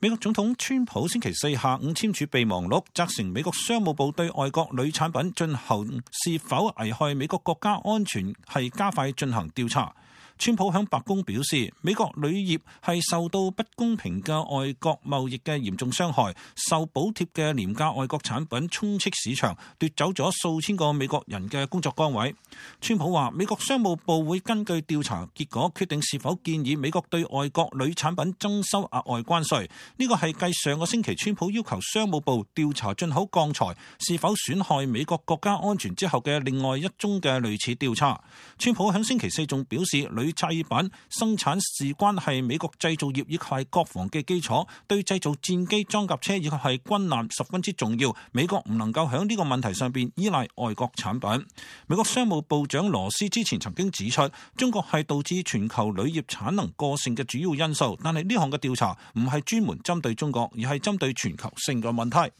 美國總統川普星期四下午簽署備忘錄，責成美國商務部對外國鋁產品進行是否危害美國國家安全係加快進行調查。川普向白宮表示，美國鋁業係受到不公平嘅外國貿易嘅嚴重傷害，受補貼嘅廉價外國產品充斥市場，奪走咗數千個美國人嘅工作崗位。川普話，美國商務部會根據調查結果決定是否建議美國對外國鋁產品徵收額外關稅。呢個係繼上個星期川普要求商務部調查進口鋼材是否損害美國國家安全之後嘅另外一宗嘅類似調查。川普喺星期四仲表示，鋁製品生產事關係美國製造業以及係國防嘅基礎，對製造戰機、裝甲車以及係軍艦十分之重要。美國唔能夠喺呢個問題上邊依賴外國產品。美國商務部長羅斯之前曾經指出，中國係導致全球鋁業產能過剩嘅主要因素，但係呢項嘅調查唔係專門針對中國，而係針對全球性嘅問題。